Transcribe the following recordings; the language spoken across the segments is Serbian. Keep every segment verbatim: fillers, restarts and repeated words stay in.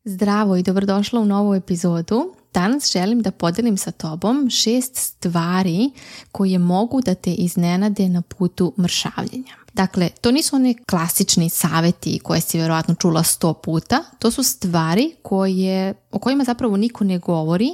Zdravo i dobrodošla u novu epizodu. Danas želim da podelim sa tobom šest stvari koje mogu da te iznenade na putu mršavljenja. Dakle, to nisu one klasični saveti koje si vjerojatno čula sto puta. To su stvari koje, o kojima zapravo niko ne govori,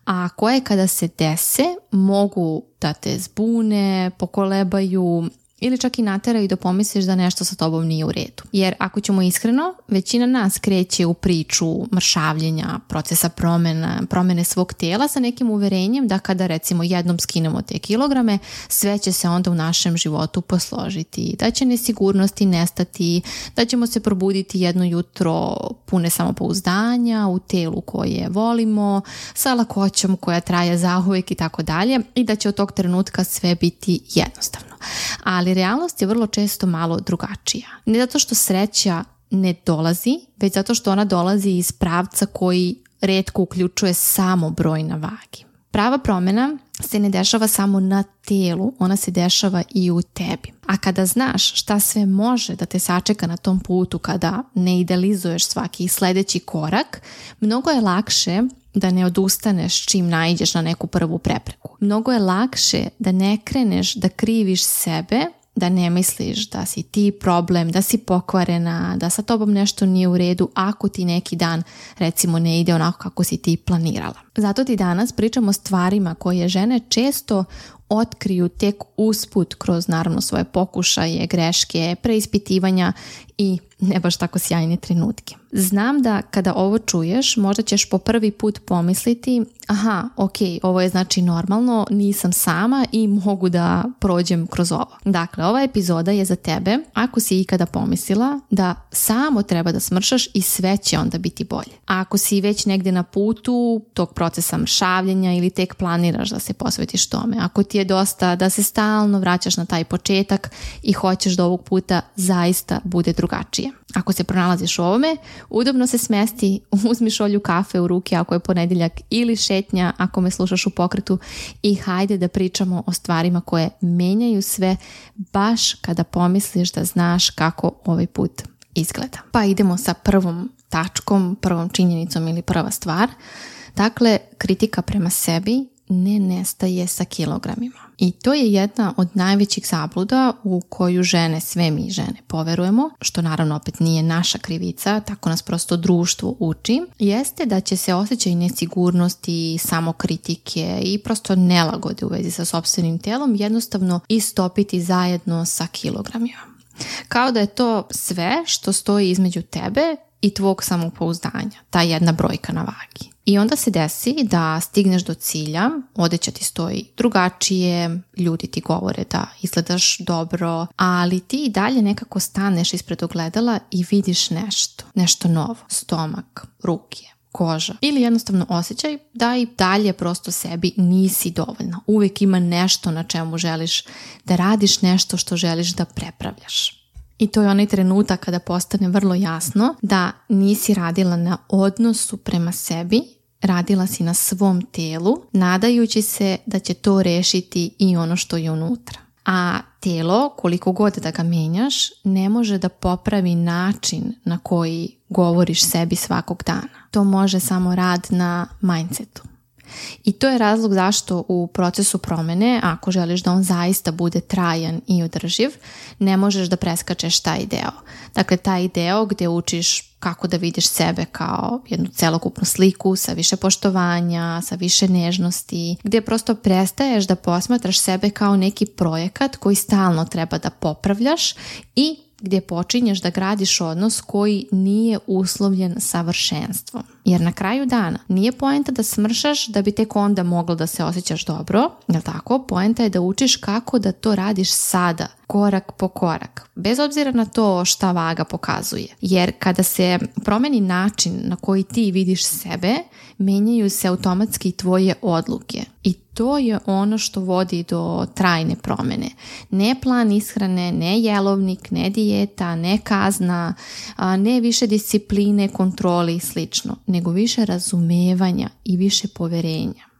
a koje kada se dese mogu da te zbune, pokolebaju ili čak i nateraju da pomisliš da nešto sa tobom nije u redu. Jer ako ćemo iskreno, većina nas kreće u priču mršavljenja, procesa promjena, promjene svog tijela sa nekim uverenjem da kada recimo jednom skinemo te kilograme, sve će se onda u našem životu posložiti, da će nesigurnosti nestati, da ćemo se probuditi jedno jutro pune samopouzdanja u telu koje volimo, sa lakoćom koja traje zauvijek i tako dalje, i da će od tog trenutka sve biti jednostavno. Ali realnost je vrlo često malo drugačija. Ne zato što sreća ne dolazi, već zato što ona dolazi iz pravca koji retko uključuje samo broj na vagi. Prava promjena se ne dešava samo na telu, ona se dešava i u tebi. A kada znaš šta sve može da te sačeka na tom putu, kada ne idealizuješ svaki sljedeći korak, mnogo je lakše da ne odustaneš čim naiđeš na neku prvu prepreku. Mnogo je lakše da ne kreneš da kriviš sebe, da ne misliš da si ti problem, da si pokvarena, da sa tobom nešto nije u redu ako ti neki dan recimo ne ide onako kako si ti planirala. Zato ti danas pričamo o stvarima koje žene često otkriju tek usput kroz naravno svoje pokušaje, greške, preispitivanja i ne baš tako sjajne trenutke. Znam da kada ovo čuješ, možda ćeš po prvi put pomisliti, aha, ok, ovo je znači normalno, nisam sama i mogu da prođem kroz ovo. Dakle, ova epizoda je za tebe ako si ikada pomislila da samo treba da smršaš i sve će onda biti bolje. A ako si već negdje na putu tog procesa mršavljenja ili tek planiraš da se posvetiš tome, ako ti je dosta da se stalno vraćaš na taj početak i hoćeš da ovog puta zaista bude drugačije. Ako se pronalaziš u ovome, udobno se smesti, uzmi šolju kafe u ruke ako je ponedjeljak ili šetnja ako me slušaš u pokretu i hajde da pričamo o stvarima koje menjaju sve baš kada pomisliš da znaš kako ovaj put izgleda. Pa idemo sa prvom tačkom, prvom činjenicom ili prva stvar. Dakle, kritika prema sebi ne nestaje sa kilogramima. I to je jedna od najvećih zabluda u koju žene, sve mi žene, poverujemo, što naravno opet nije naša krivica, tako nas prosto društvo uči, jeste da će se osjećaj nesigurnosti, samokritike i prosto nelagode u vezi sa sopstvenim telom jednostavno istopiti zajedno sa kilogramima. Kao da je to sve što stoji između tebe i tvog samopouzdanja, ta jedna brojka na vagi. I onda se desi da stigneš do cilja, odeća ti stoji drugačije, ljudi ti govore da izgledaš dobro, ali ti i dalje nekako staneš ispred ogledala i vidiš nešto, nešto novo, stomak, ruke, koža ili jednostavno osjećaj da i dalje prosto sebi nisi dovoljna. Uvijek ima nešto na čemu želiš da radiš, nešto što želiš da prepravljaš. I to je onaj trenutak kada postane vrlo jasno da nisi radila na odnosu prema sebi, radila si na svom telu, nadajući se da će to rešiti i ono što je unutra. A telo, koliko god da ga menjaš, ne može da popravi način na koji govoriš sebi svakog dana. To može samo rad na mindsetu. I to je razlog zašto u procesu promjene, ako želiš da on zaista bude trajan i održiv, ne možeš da preskačeš taj deo. Dakle, taj deo gdje učiš kako da vidiš sebe kao jednu celokupnu sliku sa više poštovanja, sa više nežnosti, gdje prosto prestaješ da posmatraš sebe kao neki projekat koji stalno treba da popravljaš i gdje počinješ da gradiš odnos koji nije uslovljen savršenstvom. Jer na kraju dana nije poenta da smršaš da bi tek onda moglo da se osjećaš dobro, jel tako? Poenta je da učiš kako da to radiš sada, korak po korak, bez obzira na to šta vaga pokazuje. Jer kada se promeni način na koji ti vidiš sebe, menjaju se automatski tvoje odluke. I to je ono što vodi do trajne promjene. Ne plan ishrane, ne jelovnik, ne dijeta, ne kazna, ne više discipline, kontrole i slično, nego više razumevanja i više poverenja.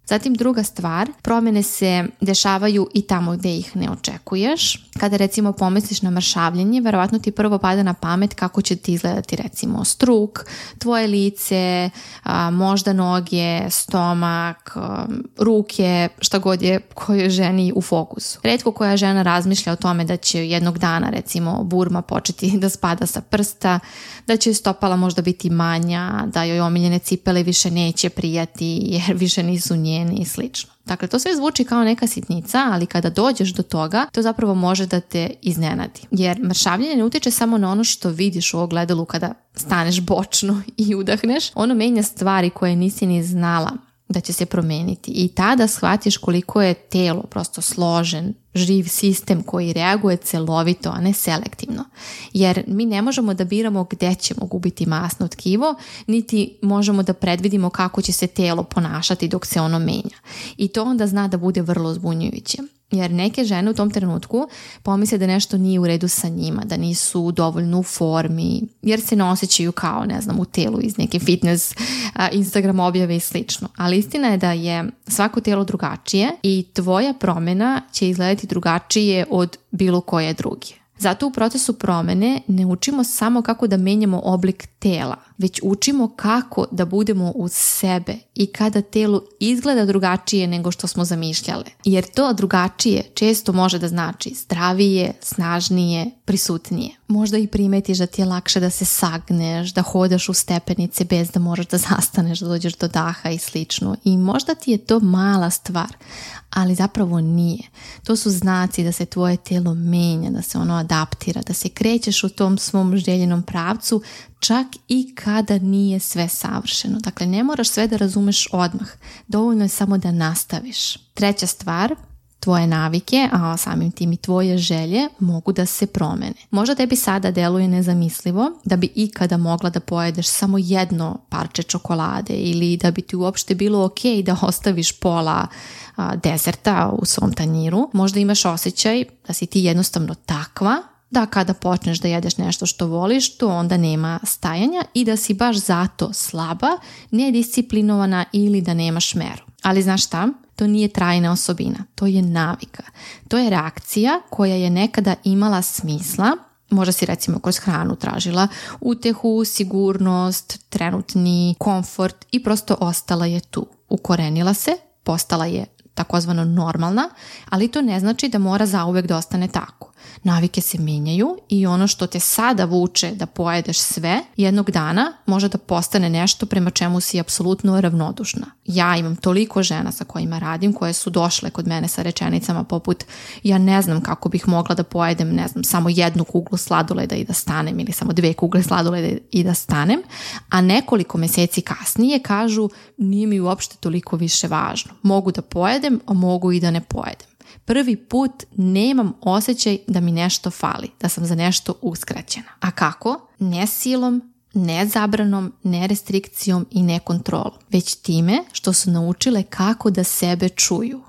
Zatim druga stvar, promjene se dešavaju i tamo gdje ih ne očekuješ. Kada recimo pomisliš na mršavljenje, verovatno ti prvo pada na pamet kako će ti izgledati recimo struk, tvoje lice, a, možda noge, stomak, a, ruke, šta god je kojoj ženi u fokusu. Retko koja žena razmišlja o tome da će jednog dana recimo burma početi da spada sa prsta, da će stopala možda biti manja, da joj omiljene cipele više neće prijati jer više nisu njeni i slično. Dakle, to sve zvuči kao neka sitnica, ali kada dođeš do toga, to zapravo može da te iznenadi. Jer mršavljenje ne utiče samo na ono što vidiš u ogledalu kada staneš bočno i udahneš. Ono menja stvari koje nisi ni znala da će se promeniti i tada shvatiš koliko je telo prosto složen, živ sistem koji reaguje celovito, a ne selektivno. Jer mi ne možemo da biramo gdje ćemo gubiti masno tkivo, niti možemo da predvidimo kako će se telo ponašati dok se ono menja. I to onda zna da bude vrlo zbunjujuće. Jer neke žene u tom trenutku pomisle da nešto nije u redu sa njima, da nisu dovoljno u formi, jer se ne osjećaju kao, ne znam, u telu iz neke fitness a, Instagram objave i slično. Ali istina je da je svako telo drugačije i tvoja promjena će izgledati drugačije od bilo koje druge. Zato u procesu promjene ne učimo samo kako da menjamo oblik tela, već učimo kako da budemo uz sebe i kada telo izgleda drugačije nego što smo zamišljale. Jer to drugačije često može da znači zdravije, snažnije, prisutnije. Možda i primetiš da ti je lakše da se sagneš, da hodaš u stepenice bez da moraš da zastaneš, da dođeš do daha i slično. I možda ti je to mala stvar, ali zapravo nije. To su znaci da se tvoje telo menja, da se ono adaptira, da se krećeš u tom svom željenom pravcu, čak i kada nije sve savršeno. Dakle, ne moraš sve da razumeš odmah. Dovoljno je samo da nastaviš. Treća stvar, tvoje navike, a samim tim i tvoje želje mogu da se promene. Možda tebi sada deluje nezamislivo da bi ikada mogla da pojedeš samo jedno parče čokolade ili da bi ti uopšte bilo ok da ostaviš pola a, deserta u svom tanjiru. Možda imaš osjećaj da si ti jednostavno takva da kada počneš da jedeš nešto što voliš, to onda nema stajanja i da si baš zato slaba, nedisciplinovana ili da nemaš meru. Ali znaš šta? To nije trajna osobina, to je navika. To je reakcija koja je nekada imala smisla, možda si recimo kroz hranu tražila utehu, sigurnost, trenutni komfort i prosto ostala je tu. Ukorenila se, postala je takozvano normalna, ali to ne znači da mora zauvek da ostane tako. Navike se mijenjaju i ono što te sada vuče da pojedeš sve, jednog dana može da postane nešto prema čemu si apsolutno ravnodušna. Ja imam toliko žena sa kojima radim koje su došle kod mene sa rečenicama poput ja ne znam kako bih mogla da pojedem, ne znam, samo jednu kuglu sladoleda i da stanem ili samo dve kugle sladoleda i da stanem, a nekoliko mjeseci kasnije kažu nije mi uopšte toliko više važno. Mogu da pojedem, a mogu i da ne pojedem. Prvi put nemam osjećaj da mi nešto fali, da sam za nešto uskraćena. A kako? Ne silom, ne zabranom, ne restrikcijom i ne kontrolom, već time što su naučile kako da sebe čuju.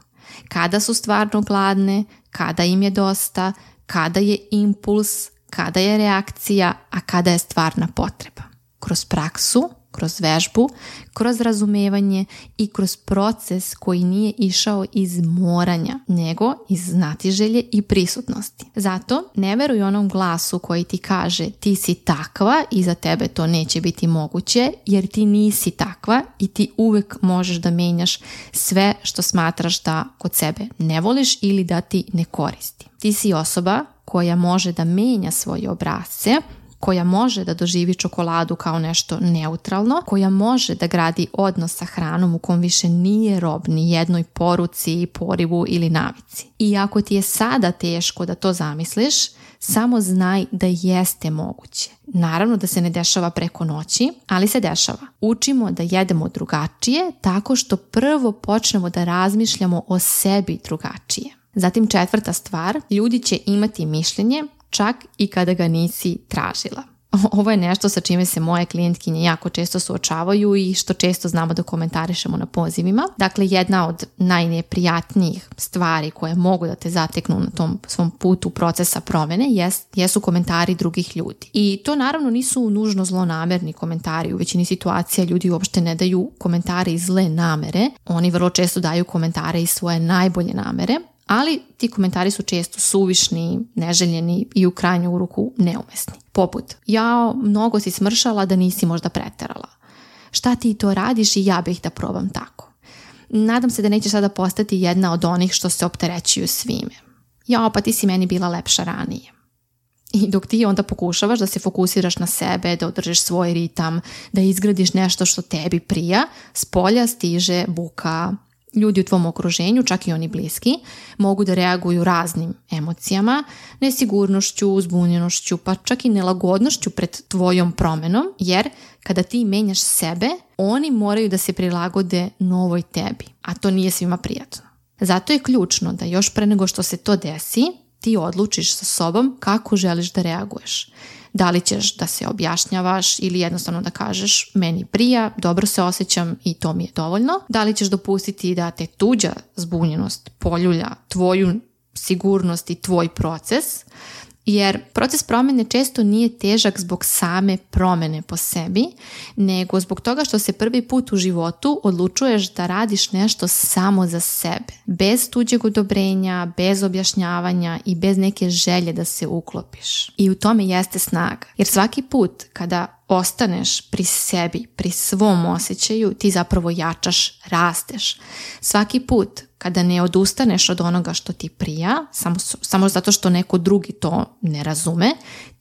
Kada su stvarno gladne, kada im je dosta, kada je impuls, kada je reakcija, a kada je stvarna potreba. Kroz praksu, kroz vežbu, kroz razumevanje i kroz proces koji nije išao iz moranja, nego iz znatiželje i prisutnosti. Zato ne veruj onom glasu koji ti kaže ti si takva i za tebe to neće biti moguće, jer ti nisi takva i ti uvek možeš da menjaš sve što smatraš da kod sebe ne voliš ili da ti ne koristi. Ti si osoba koja može da menja svoje obrasce, koja može da doživi čokoladu kao nešto neutralno, koja može da gradi odnos sa hranom u kom više nije rob ni jednoj poruci, porivu ili navici. I ako ti je sada teško da to zamisliš, samo znaj da jeste moguće. Naravno da se ne dešava preko noći, ali se dešava. Učimo da jedemo drugačije tako što prvo počnemo da razmišljamo o sebi drugačije. Zatim četvrta stvar, ljudi će imati mišljenje čak i kada ga nisi tražila. Ovo je nešto sa čime se moje klijentkinje jako često suočavaju i što često znamo da komentarišemo na pozivima. Dakle, jedna od najneprijatnijih stvari koje mogu da te zateknu na tom svom putu procesa promjene jest, jesu komentari drugih ljudi. I to naravno nisu nužno zlonamerni komentari. U većini situacija ljudi uopšte ne daju komentare iz zle namere. Oni vrlo često daju komentare iz svoje najbolje namere. Ali ti komentari su često suvišni, neželjeni i u krajnju ruku neumesni. Poput, ja mnogo si smršala da nisi možda preterala. Šta ti to radiš i ja bih da probam tako. Nadam se da nećeš sada postati jedna od onih što se opterećuju svime. Ja, pa ti si meni bila lepša ranije. I dok ti onda pokušavaš da se fokusiraš na sebe, da održiš svoj ritam, da izgradiš nešto što tebi prija, s polja stiže buka. Ljudi u tvom okruženju, čak i oni bliski, mogu da reaguju raznim emocijama, nesigurnošću, zbunjenošću, pa čak i nelagodnošću pred tvojom promenom, jer kada ti menjaš sebe, oni moraju da se prilagode novoj tebi, a to nije svima prijatno. Zato je ključno da još pre nego što se to desi, ti odlučiš sa sobom kako želiš da reaguješ. Da li ćeš da se objašnjavaš ili jednostavno da kažeš meni prija, dobro se osjećam i to mi je dovoljno. Da li ćeš dopustiti da te tuđa zbunjenost poljulja tvoju sigurnost i tvoj proces, jer proces promjene često nije težak zbog same promjene po sebi, nego zbog toga što se prvi put u životu odlučuješ da radiš nešto samo za sebe, bez tuđeg odobrenja, bez objašnjavanja i bez neke želje da se uklopiš. I u tome jeste snaga, jer svaki put kada ostaneš pri sebi, pri svom osjećaju, ti zapravo jačaš, rasteš. Svaki put kada ne odustaneš od onoga što ti prija, samo, samo zato što neko drugi to ne razume,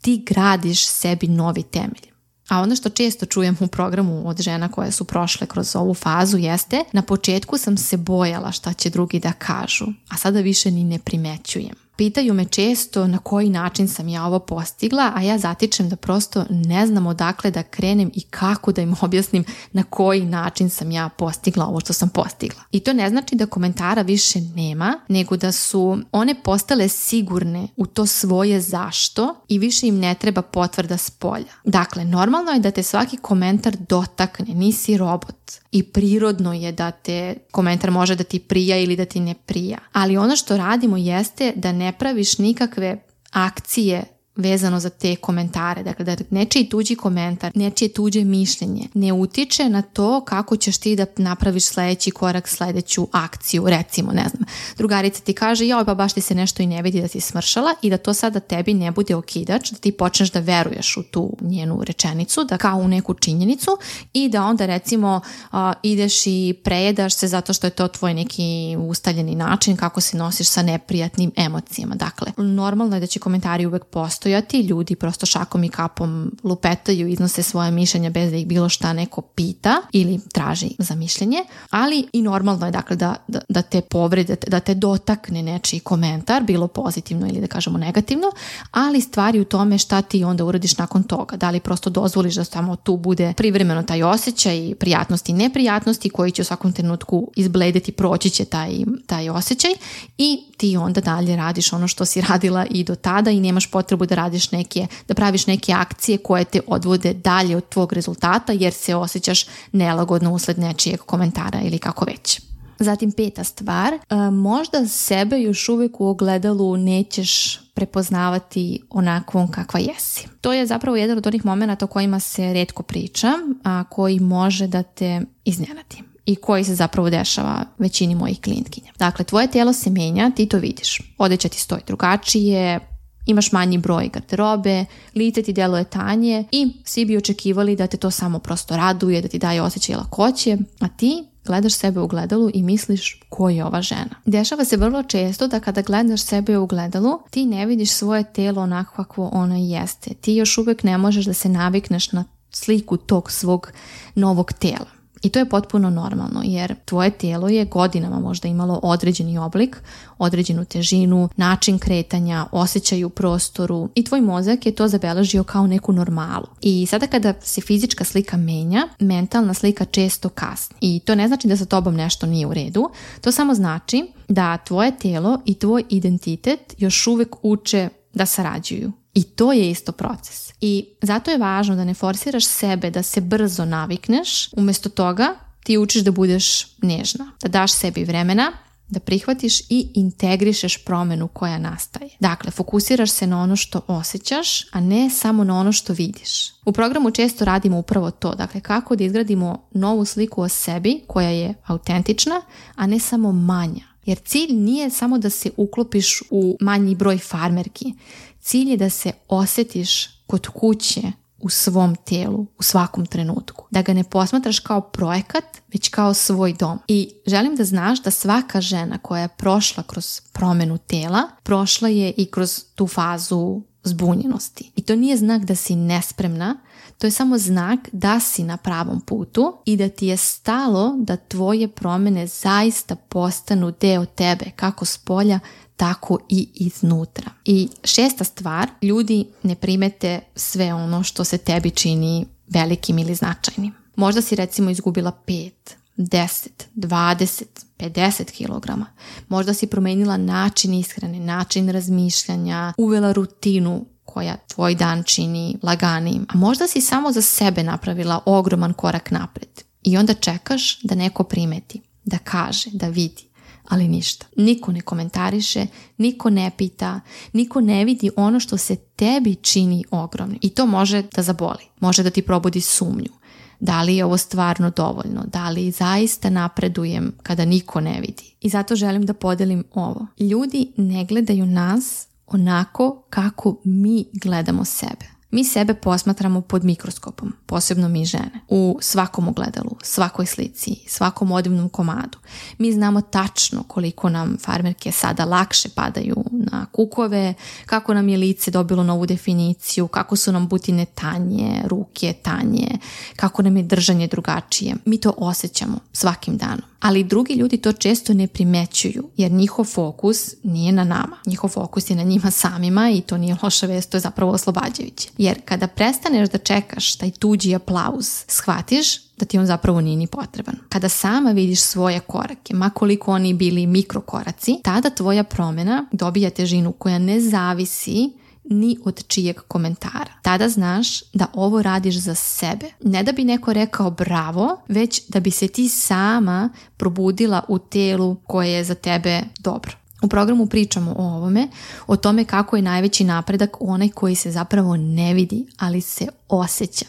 ti gradiš sebi novi temelj. A ono što često čujem u programu od žena koje su prošle kroz ovu fazu jeste, na početku sam se bojala šta će drugi da kažu, a sada više ni ne primećujem. Pitaju me često na koji način sam ja ovo postigla, a ja zatičem da prosto ne znam odakle da krenem i kako da im objasnim na koji način sam ja postigla ovo što sam postigla. I to ne znači da komentara više nema, nego da su one postale sigurne u to svoje zašto i više im ne treba potvrda s polja. Dakle, normalno je da te svaki komentar dotakne, nisi robot. I prirodno je da te komentar može da ti prija ili da ti ne prija. Ali ono što radimo jeste da ne praviš nikakve akcije vezano za te komentare. Dakle, da nečiji tuđi komentar, nečije tuđe mišljenje ne utiče na to kako ćeš ti da napraviš sljedeći korak, sljedeću akciju. Recimo, ne znam, drugarica ti kaže, joj, pa baš ti se nešto i ne vidi da si smršala i da to sada tebi ne bude okidač, da ti počneš da veruješ u tu njenu rečenicu, da kao u neku činjenicu i da onda recimo a, ideš i prejedaš se zato što je to tvoj neki ustaljeni način kako se nosiš sa neprijatnim emocijama. Dakle, normalno je da će komentari uvek postojati. Ljudi prosto šakom i kapom lupetaju, iznose svoje mišljenja bez da ih bilo šta neko pita ili traži za mišljenje, ali i normalno je dakle da, da, da te povrede, da te dotakne nečiji komentar, bilo pozitivno ili da kažemo negativno, ali stvari u tome šta ti onda uradiš nakon toga. Da li prosto dozvoliš da samo tu bude privremeno taj osjećaj prijatnosti i neprijatnosti koji će u svakom trenutku izbledeti, proći će taj, taj osjećaj i ti onda dalje radiš ono što si radila i do tada i nemaš potrebu da radiš neke, da praviš neke akcije koje te odvode dalje od tvog rezultata jer se osjećaš nelagodno usled nečijeg komentara ili kako već. Zatim peta stvar, možda sebe još uvijek u ogledalu nećeš prepoznavati onakvom kakva jesi. To je zapravo jedan od onih momenata o kojima se retko priča, a koji može da te iznenadi i koji se zapravo dešava većini mojih klijentkinja. Dakle, tvoje tijelo se menja, ti to vidiš. Odeća ti stoji drugačije, imaš manji broj garderobe, lice ti djeluje tanje i svi bi očekivali da te to samo prosto raduje, da ti daje osjećaj lakoće, a ti gledaš sebe u ogledalu i misliš ko je ova žena. Dešava se vrlo često da kada gledaš sebe u ogledalu, ti ne vidiš svoje tijelo onako kakvo ono jeste. Ti još uvijek ne možeš da se navikneš na sliku tog svog novog tijela. I to je potpuno normalno jer tvoje tijelo je godinama možda imalo određeni oblik, određenu težinu, način kretanja, osjećaj u prostoru i tvoj mozak je to zabeležio kao neku normalu. I sada kada se fizička slika menja, mentalna slika često kasni. I to ne znači da sa tobom nešto nije u redu, to samo znači da tvoje tijelo i tvoj identitet još uvijek uče da sarađuju. I to je isto proces. I zato je važno da ne forsiraš sebe da se brzo navikneš, umjesto toga ti učiš da budeš nežna, da daš sebi vremena, da prihvatiš i integrišeš promjenu koja nastaje. Dakle, fokusiraš se na ono što osjećaš, a ne samo na ono što vidiš. U programu često radimo upravo to, dakle kako da izgradimo novu sliku o sebi koja je autentična, a ne samo manja. Jer cilj nije samo da se uklopiš u manji broj farmerki. Cilj je da se osjetiš kod kuće u svom tijelu, u svakom trenutku. Da ga ne posmatraš kao projekat, već kao svoj dom. I želim da znaš da svaka žena koja je prošla kroz promjenu tijela, prošla je i kroz tu fazu zbunjenosti. I to nije znak da si nespremna, to je samo znak da si na pravom putu i da ti je stalo da tvoje promjene zaista postanu deo tebe, kako s polja, tako i iznutra. I šesta stvar, ljudi ne primete sve ono što se tebi čini velikim ili značajnim. Možda si recimo izgubila pet, deset, dvadeset, pedeset kilograma. Možda si promenila način ishrane, način razmišljanja, uvela rutinu koja tvoj dan čini laganijim. A možda si samo za sebe napravila ogroman korak napred. I onda čekaš da neko primeti, da kaže, da vidi. Ali ništa. Niko ne komentariše, niko ne pita, niko ne vidi ono što se tebi čini ogromnim. I to može da zaboli. Može da ti probudi sumnju. Da li je ovo stvarno dovoljno? Da li zaista napredujem kada niko ne vidi? I zato želim da podelim ovo. Ljudi ne gledaju nas onako kako mi gledamo sebe. Mi sebe posmatramo pod mikroskopom, posebno mi žene, u svakom ogledalu, svakoj slici, svakom odivnom komadu. Mi znamo tačno koliko nam farmerke sada lakše padaju na kukove, kako nam je lice dobilo novu definiciju, kako su nam butine tanje, ruke tanje, kako nam je držanje drugačije. Mi to osjećamo svakim danom. Ali drugi ljudi to često ne primećuju, jer njihov fokus nije na nama. Njihov fokus je na njima samima i to nije loša vest, to je zapravo oslobađajuće. Jer kada prestaneš da čekaš taj tuđi aplauz, shvatiš da ti on zapravo nije ni potreban. Kada sama vidiš svoje korake, ma koliko oni bili mikrokoraci, tada tvoja promjena dobija težinu koja ne zavisi ni od čijeg komentara. Tada znaš da ovo radiš za sebe. Ne da bi neko rekao bravo, već da bi se ti sama probudila u telu koje je za tebe dobro. U programu pričamo o ovome, o tome kako je najveći napredak onaj koji se zapravo ne vidi, ali se osjeća.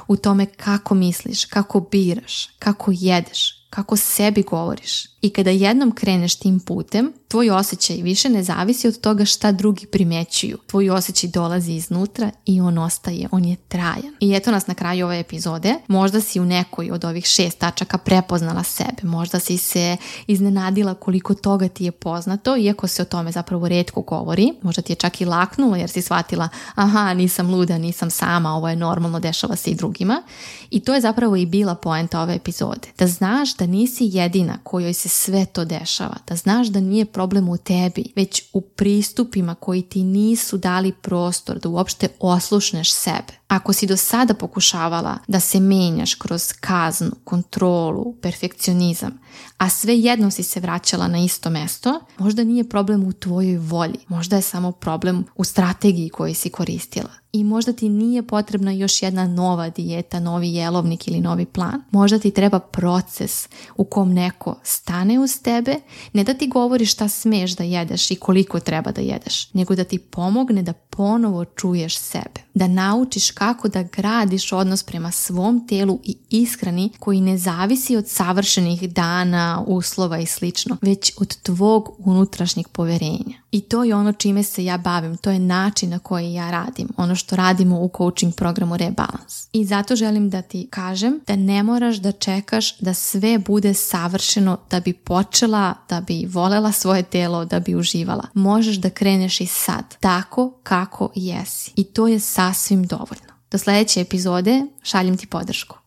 U tome kako misliš, kako biraš, kako jedeš, kako sebi govoriš. I kada jednom kreneš tim putem, tvoj osjećaj više ne zavisi od toga šta drugi primjećuju. Tvoj osjećaj dolazi iznutra i on ostaje, on je trajan. I eto nas na kraju ove epizode. Možda si u nekoj od ovih šest tačaka prepoznala sebe. Možda si se iznenadila koliko toga ti je poznato, iako se o tome zapravo retko govori. Možda ti je čak i laknulo jer si shvatila, aha, nisam luda, nisam sama, ovo je normalno, dešava se i drugima. I to je zapravo i bila poenta ove epizode. Da znaš da nisi jedina kojoj se sve to dešava, da znaš da nije problem u tebi, već u pristupima koji ti nisu dali prostor da uopšte oslušneš sebe. Ako si do sada pokušavala da se menjaš kroz kaznu, kontrolu, perfekcionizam, a svejedno si se vraćala na isto mesto, možda nije problem u tvojoj volji, možda je samo problem u strategiji koju si koristila. I možda ti nije potrebna još jedna nova dijeta, novi jelovnik ili novi plan. Možda ti treba proces u kom neko stane uz tebe, ne da ti govori šta smeš da jedeš i koliko treba da jedeš, nego da ti pomogne da ponovo čuješ sebe. Da naučiš kako da gradiš odnos prema svom telu i ishrani koji ne zavisi od savršenih dana, uslova i slično, već od tvog unutrašnjeg poverenja. I to je ono čime se ja bavim, to je način na koji ja radim, ono što radimo u coaching programu Rebalance. I zato želim da ti kažem da ne moraš da čekaš da sve bude savršeno da bi počela, da bi volela svoje telo, da bi uživala. Možeš da kreneš i sad, tako kako jesi. I to je sasvim dovoljno. Do sljedeće epizode šaljem ti podršku.